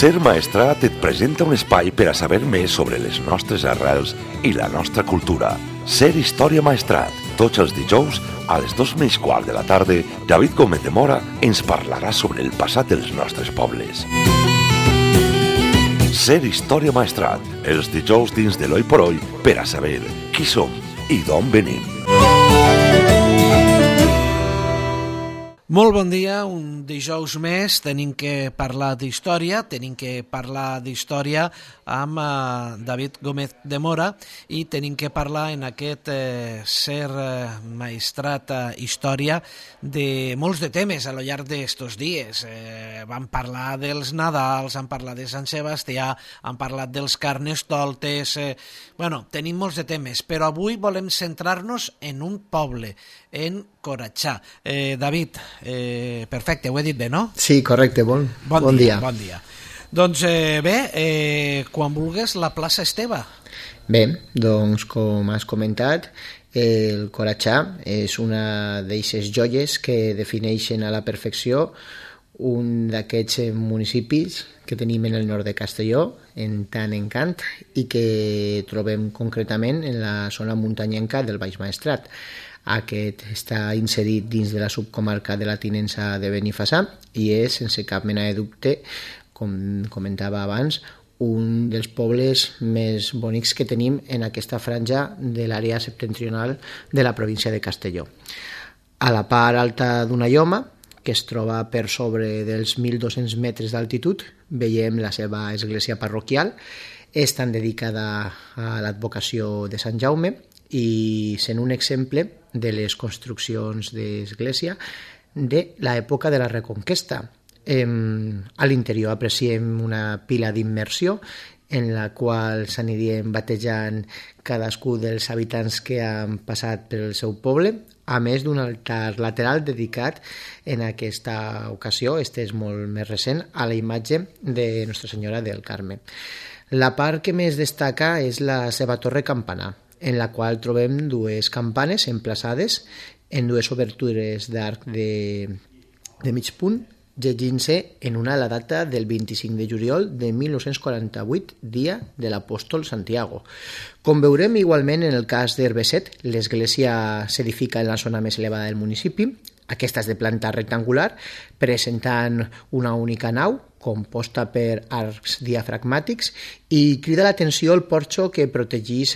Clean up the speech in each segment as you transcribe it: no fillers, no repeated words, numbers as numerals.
Ser Maestrat et presenta un espai per a saber més sobre les nostres arrels i la nostra cultura. Ser Història Maestrat. Tots els dijous, a les 2:15 de la tarda, David Gómez de Mora ens parlarà sobre el passat dels nostres pobles. Ser Història Maestrat. Els dijous dins de l'Oi por Oi per a saber qui som i d'on venim. Molt bon dia, un dijous més, tenim que parlar d'història, amb David Gómez de Mora i tenim que parlar en aquest Ser Maestrat Història de molts de temes a lo llarg d'estos dies. Vam parlar dels Nadals, han parlat de Sant Sebastià, han parlat dels Carnestoltes, tenim molts de temes, però avui volem centrar-nos en un poble, en Coratxà. David, perfecte, ho he dit bé, no? Sí, correcte, bon dia. Bon dia. Doncs quan vulgues, la plaça Esteve. Bé, doncs com has comentat, el Coratxà és una d'eixes joies que defineixen a la perfecció un d'aquests municipis que tenim en el nord de Castelló, en tant encant, i que trobem concretament en la zona muntanyenca del Baix Maestrat. Aquest està inserit dins de la subcomarca de la Tinença de Benifassà i és, sense cap mena de dubte, com comentava abans, un dels pobles més bonics que tenim en aquesta franja de l'àrea septentrional de la província de Castelló. A la part alta d'una lloma, que es troba per sobre dels 1.200 metres d'altitud, veiem la seva església parroquial. És tan dedicada a l'advocació de Sant Jaume i sent un exemple de les construccions d'església de l'època de la Reconquesta. A l'interior apreciem una pila d'immersió en la qual s'anirien batejant cadascú dels habitants que han passat pel seu poble, a més d'un altar lateral dedicat en aquesta ocasió, este és molt més recent, a la imatge de Nostra Senyora del Carme. La part que més destaca és la seva torre campanar, en la qual trobem dues campanes emplaçades en dues obertures d'arc de mig punt, llegint-se en una la data del 25 de juliol de 1948, dia de l'apòstol Santiago. Com veurem igualment en el cas d'Herbeset, l'església s'edifica en la zona més elevada del municipi. Aquesta és de planta rectangular, presentant una única nau, composta per arcs diafragmàtics, i crida l'atenció el porxo que protegeix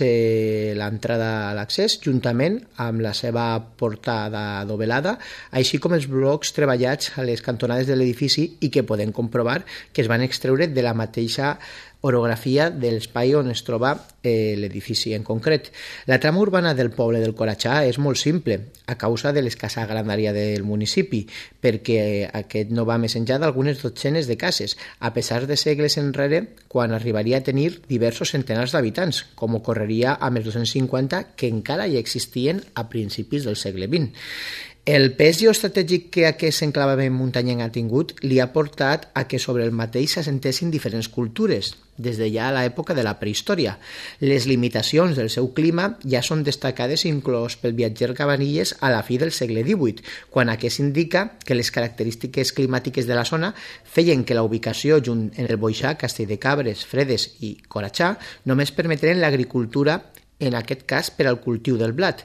l'entrada a l'accés, juntament amb la seva portada dovellada, així com els blocs treballats a les cantonades de l'edifici i que podem comprovar que es van extreure de la mateixa orografia de l'espai on es troba l'edifici en concret. La trama urbana del poble del Coratxà és molt simple, a causa de l'escassa grandària del municipi, perquè aquest no va més enllà d'algunes dotzenes de cases, a pesar de segles enrere, quan arribaria a tenir diversos centenars d'habitants, com ocorreria amb els 250 que encara hi existien a principis del segle XX. El pes geoestratègic que aquest enclavament muntanyenc ha tingut li ha portat a que sobre el mateix s'assentessin diferents cultures, des de ja a l'època de la prehistòria. Les limitacions del seu clima ja són destacades inclòs pel viatger Cabanilles a la fi del segle XVIII, quan aquest indica que les característiques climàtiques de la zona feien que la ubicació junt en el Boixà, Castelldecabres, Fredes i Coratxà només permeteren l'agricultura, en aquest cas per al cultiu del blat.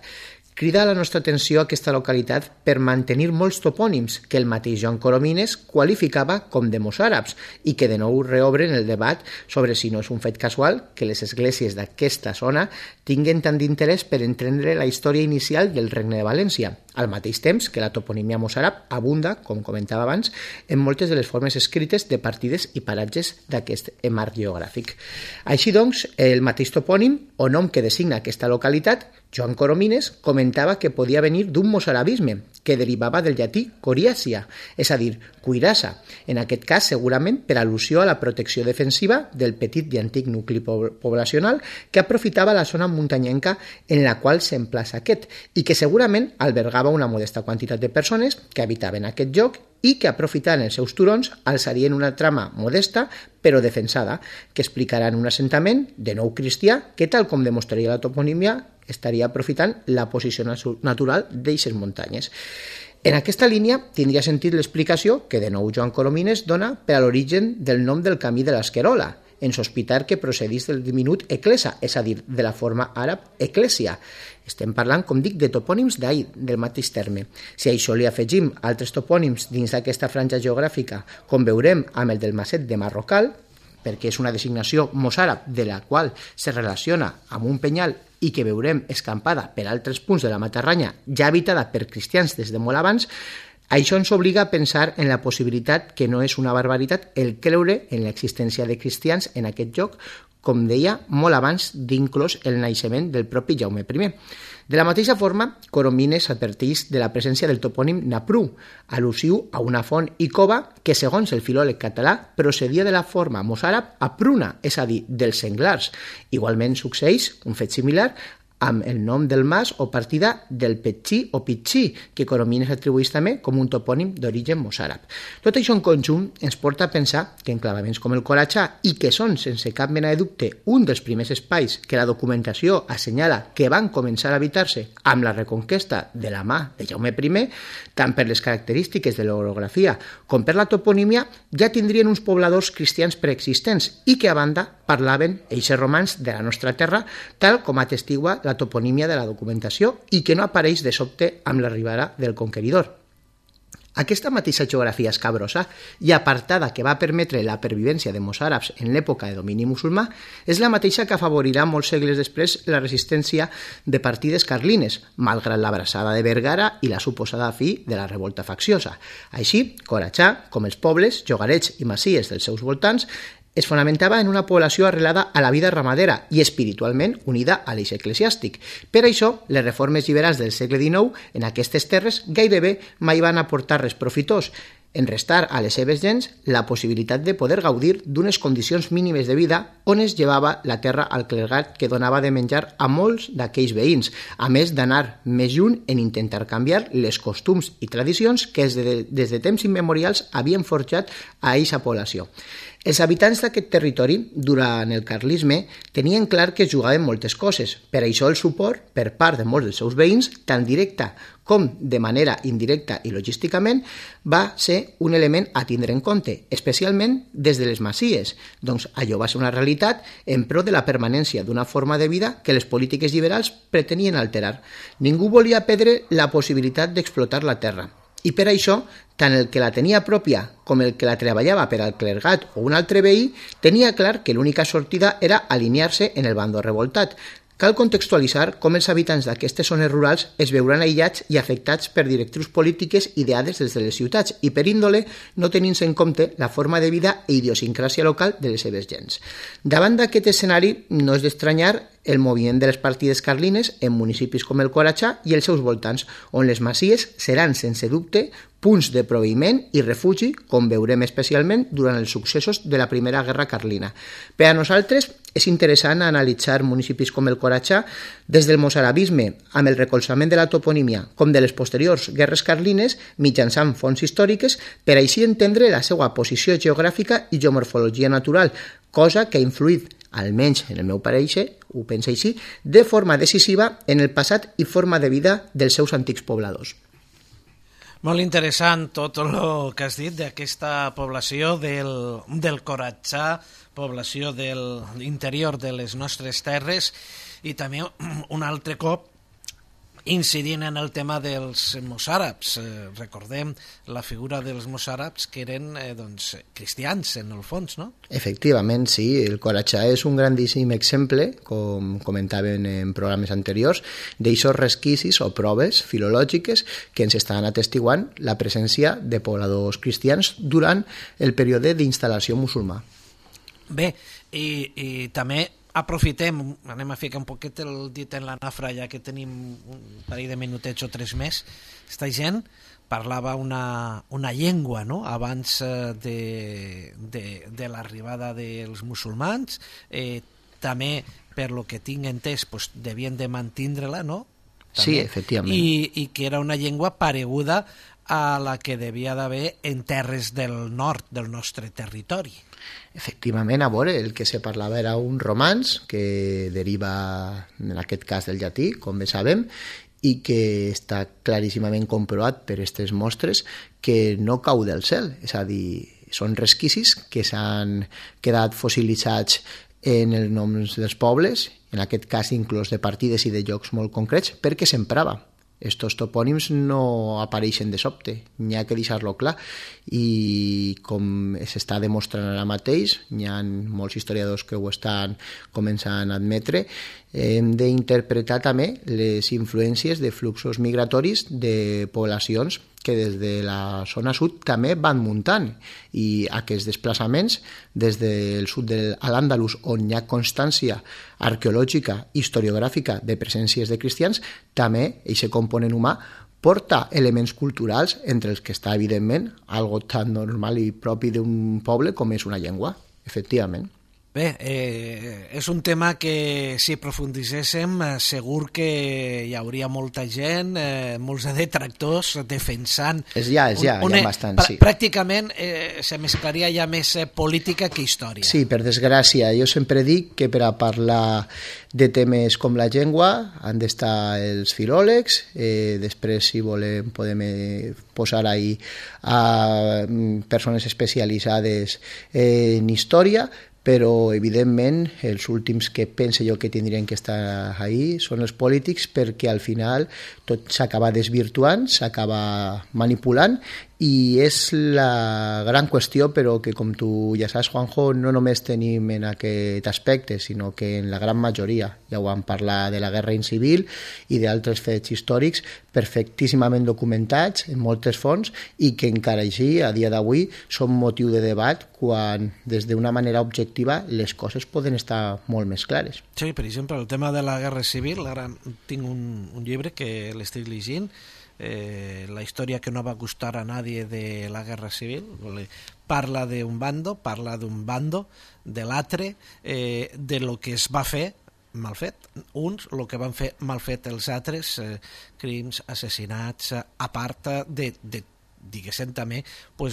Crida la nostra atenció aquesta localitat per mantenir molts topònims que el mateix Joan Coromines qualificava com de mossàrabs i que de nou reobren el debat sobre si no és un fet casual que les esglésies d'aquesta zona tinguen tant d'interès per entendre la història inicial del Regne de València, al mateix temps que la toponímia mossàrab abunda, com comentava abans, en moltes de les formes escrites de partides i paratges d'aquest marc geogràfic. Així doncs, el mateix topònim o nom que designa aquesta localitat, Joan Coromines, comentava que podia venir d'un mossarabisme, que derivava del llatí coriàcia, és a dir, cuirassa, en aquest cas segurament per al·lusió a la protecció defensiva del petit i antic nucli poblacional que aprofitava la zona muntanyenca en la qual s'emplaça aquest i que segurament albergava una modesta quantitat de persones que habitaven aquest lloc i que, aprofitant els seus turons, alçarien una trama modesta però defensada, que explicaran un assentament de nou cristià que, tal com demostraria la toponímia, estaria aprofitant la posició natural d'eixes muntanyes. En aquesta línia tindria sentit l'explicació que de nou Joan Coromines dona per a l'origen del nom del camí de l'Esquerola, en sospitar que procedís del diminut eclesa, és a dir, de la forma àrab eclèsia. Estem parlant, com dic, de topònims d'ahir, del mateix terme. Si a això li afegim altres topònims dins d'aquesta franja geogràfica, com veurem amb el del Maset de Marrocal, perquè és una designació mossàrab de la qual se relaciona amb un penyal i que veurem escampada per altres punts de la Matarranya, ja habitada per cristians des de molt abans, això ens obliga a pensar en la possibilitat que no és una barbaritat el creure en l'existència de cristians en aquest lloc, com deia, molt abans d'inclòs el naixement del propi Jaume I. De la mateixa forma, Coromines adverteix de la presència del topònim Napru, al·lusiu a una font i cova que, segons el filòleg català, procedia de la forma mossàrab apruna, és a dir, dels senglars. Igualment succeeix un fet similar amb el nom del mas o partida del Petxí o Pitxí, que Coromines atribueix també com un topònim d'origen mossàrab. Tot això en conjunt ens porta a pensar que enclavaments com el Coratxà, i que són, sense cap mena de dubte, un dels primers espais que la documentació assenyala que van començar a habitar-se amb la reconquesta de la mà de Jaume I, tant per les característiques de l'orografia com per la toponímia, ja tindrien uns pobladors cristians preexistents i que, a banda, parlaven eixes romans de la nostra terra, tal com atestigua la toponímia de la documentació i que no apareix de sobte amb l'arribada del conqueridor. Aquesta mateixa geografia escabrosa i apartada que va permetre la pervivència de mossàrabs en l'època de domini musulmà és la mateixa que afavorirà molts segles després la resistència de partides carlines, malgrat l'abraçada de Vergara i la suposada fi de la revolta facciosa. Així, Coratxà, com els pobles, llogarets i masies dels seus voltants, es fonamentava en una població arrelada a la vida ramadera i espiritualment unida a l'eix eclesiàstic. Per això, les reformes liberals del segle XIX en aquestes terres gairebé mai van aportar res profitós, en restar a les seves gens la possibilitat de poder gaudir d'unes condicions mínimes de vida on es llevava la terra al clergat que donava de menjar a molts d'aquells veïns, a més d'anar més lluny en intentar canviar les costums i tradicions que des de temps immemorials havien forjat a eixa població. Els habitants d'aquest territori, durant el carlisme, tenien clar que es jugaven moltes coses. Per això el suport, per part de molts dels seus veïns, tant directa com de manera indirecta i logísticament, va ser un element a tindre en compte, especialment des de les masies. Doncs allò va ser una realitat en pro de la permanència d'una forma de vida que les polítiques liberals pretenien alterar. Ningú volia perdre la possibilitat d'explotar la terra. I per això, tant el que la tenia pròpia com el que la treballava per al clergat o un altre veí, tenia clar que l'única sortida era alinear-se en el bàndol revoltat. Cal contextualitzar com els habitants d'aquestes zones rurals es veuran aïllats i afectats per directrius polítiques ideades des de les ciutats i per índole no tenint-se en compte la forma de vida i idiosincràsia local de les seves gens. Davant d'aquest escenari no és d'estranyar el moviment de les partides carlines en municipis com el Coratxà i els seus voltants, on les masies seran, sense dubte, punts de proveïment i refugi, com veurem especialment durant els successos de la Primera Guerra Carlina. Per a nosaltres és interessant analitzar municipis com el Coratxà des del mossarabisme, amb el recolzament de la toponímia, com de les posteriors guerres carlines, mitjançant fonts històriques, per així entendre la seva posició geogràfica i geomorfologia natural, cosa que ha influït, almenys en el meu pareixer, ho penso així, de forma decisiva en el passat i forma de vida dels seus antics pobladors. Molt interessant tot el que has dit d'aquesta població del Coratxà, població de l'interior de les nostres terres, i també un altre cop incidint en el tema dels mossàrabs. Recordem la figura dels mossàrabs que eren cristians en el fons, no? Efectivament, sí. El Coratxà és un grandíssim exemple, com comentaven en programes anteriors, d'aixòs resquicis o proves filològiques que ens estan atestiguant la presència de pobladors cristians durant el període d'instal·lació musulmà. Bé, i també aprofitem, anem a ficar un poquet el dit en la nafra, ja que tenim un parell de minutets o 3 més. Esta gent parlava una llengua, no?, abans de l'arribada dels musulmans. També, per lo que tinc entès, devien de mantindre-la, no? També. Sí, efectivament. I que era una llengua pareguda a la que devia d'haver en terres del nord del nostre territori. Efectivament, a veure, el que se parlava era un romanç que deriva, en aquest cas, del llatí, com bé sabem, i que està claríssimament comprovat per aquestes mostres que no cau del cel, és a dir, són resquicis que s'han quedat fossilitzats en els noms dels pobles, en aquest cas inclús de partides i de llocs molt concrets, perquè s'emprava. Estos topònims no apareixen de sobte, n'hi ha que deixar-lo clar, i com s'està demostrant ara mateix, n'hi ha molts historiadors que ho estan començant a admetre, hem d'interpretar també les influències de fluxos migratoris de poblacions que des de la zona sud també van muntant, i aquests desplaçaments des del sud de l'Àndalus, on hi ha constància arqueològica, historiogràfica de presències de cristians, també aquest component humà porta elements culturals, entre els que està, evidentment, algo tan normal i propi d'un poble com és una llengua, efectivament. Bé, és un tema que si aprofundisséssim segur que hi hauria molta gent, molts detractors defensant... Hi ha bastant, sí. Pràcticament se mesclaria ja més política que història. Sí, per desgràcia. Jo sempre dic que per a parlar de temes com la llengua han d'estar els filòlegs, després si volem podem posar ahí a persones especialitzades en història, però evidentment els últims que penso jo que tindrien que estar ahí són els polítics, perquè al final tot s'acaba desvirtuant, s'acaba manipulant, i és la gran qüestió, però que com tu ja saps, Juanjo, no només tenim en aquest aspecte, sinó que en la gran majoria, ja ho vam parlar de la guerra civil i d'altres fets històrics perfectíssimament documentats en moltes fonts, i que encara així, a dia d'avui, són motiu de debat quan des d'una manera objectiva les coses poden estar molt més clares. Sí, per exemple, el tema de la guerra civil, ara tinc un llibre que l'estic llegint, la història que no va gustar a nadie de la guerra civil, parla d'un bando, de l'altre, de lo que es va fer mal fet, uns, el que van fer mal fet els altres, crims, assassinats, a part de diguéssim també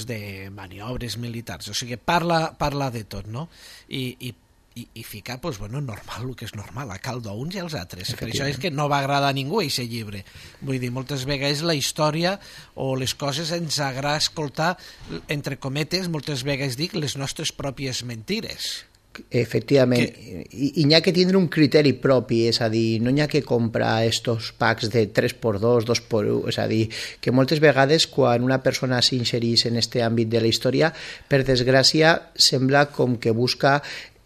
de maniobres militars, o sigui, parla de tot, no? I ficar, normal, el que és normal, a cal d'uns i als altres. Per això és que no va agradar a ningú aquest llibre. Vull dir, moltes vegades la història o les coses ens agrada escoltar, entre cometes, moltes vegades dic, les nostres pròpies mentires. Efectivament, i n'hi ha que tindre un criteri propi, és a dir, no n'hi ha que comprar estos packs de 3x2, 2x1, és a dir, que moltes vegades quan una persona s'insereix en aquest àmbit de la història, per desgràcia, sembla com que busca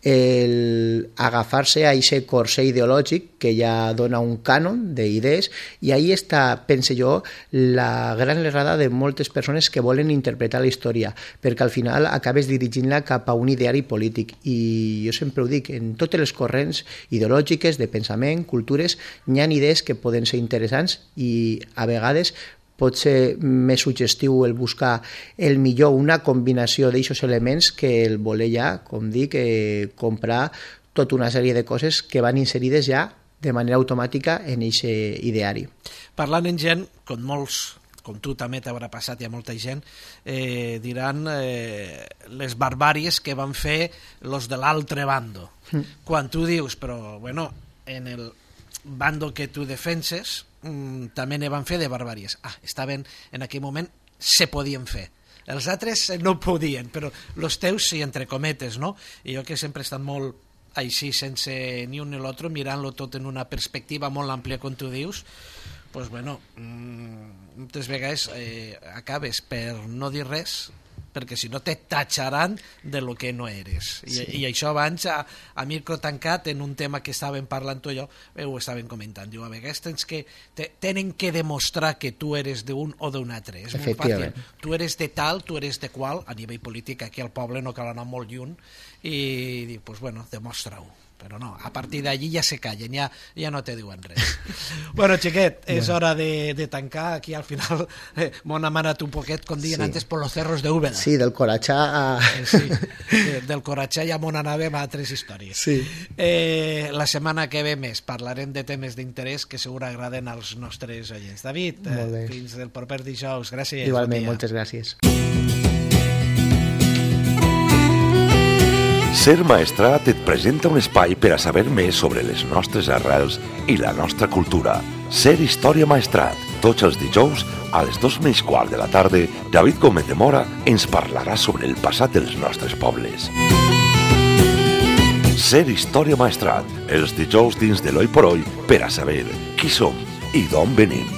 agafar-se a aquest corser ideològic que ja dona un cànon d'idees, i ahí està, pense jo, la gran errada de moltes persones que volen interpretar la història, perquè al final acabes dirigint-la cap a un ideari polític, i jo sempre ho dic, en totes les corrents ideològiques, de pensament, cultures, n'hi ha idees que poden ser interessants, i a vegades pot ser més suggestiu el buscar el millor, una combinació d'aixos elements, que el voler ja, com dic, comprar tota una sèrie de coses que van inserides ja de manera automàtica en aquest ideari. Parlant en gent, com tu també t'haurà passat, hi ha molta gent, diran les barbàries que van fer los de l'altre bando. Quan tu dius, però bueno, en el bando que tu defenses també ne van fer de barbàries. Està ben, en aquell moment se podien fer. Els altres no podien, però els teus sí, entre cometes, no? I jo que sempre he estat molt així, sense ni un ni l'altre, mirant-lo tot en una perspectiva molt àmplia, com tu dius, doncs, bueno, moltes vegades acabes per no dir res, perquè si no te tatxaran de lo que no eres. I això abans, a micro tancat, en un tema que estàvem parlant tu i jo, ho estàvem comentant. Diu, a vegades tenen que demostrar que tu eres d'un o d'un altre. És molt fàcil. Tu eres de tal, tu eres de qual, a nivell polític, aquí al poble no cal anar molt lluny, i diu, doncs bueno, demostra-ho. Però no, a partir d'allí ja se callen, ja no te diuen res. Bueno, xiquet, és hora de tancar. Aquí al final m'han amanat un poquet, com diuen antes, por los cerros de Úbeda. Sí, del Corachà a... Sí, del Corachà ja m'on anàvem a altres històries. Sí. La setmana que ve més parlarem de temes d'interès que segur agraden als nostres oients. David, fins del proper dijous. Gràcies. Igualment, moltes gràcies. Ser Maestrat et presenta un espai per a saber més sobre les nostres arrels i la nostra cultura. Ser Història Maestrat. Tots els dijous, a les 2:15 de la tarda, David Gómez de Mora ens parlarà sobre el passat dels nostres pobles. Ser Història Maestrat. Els dijous dins de l'Oi por Oi per a saber qui som i d'on venim.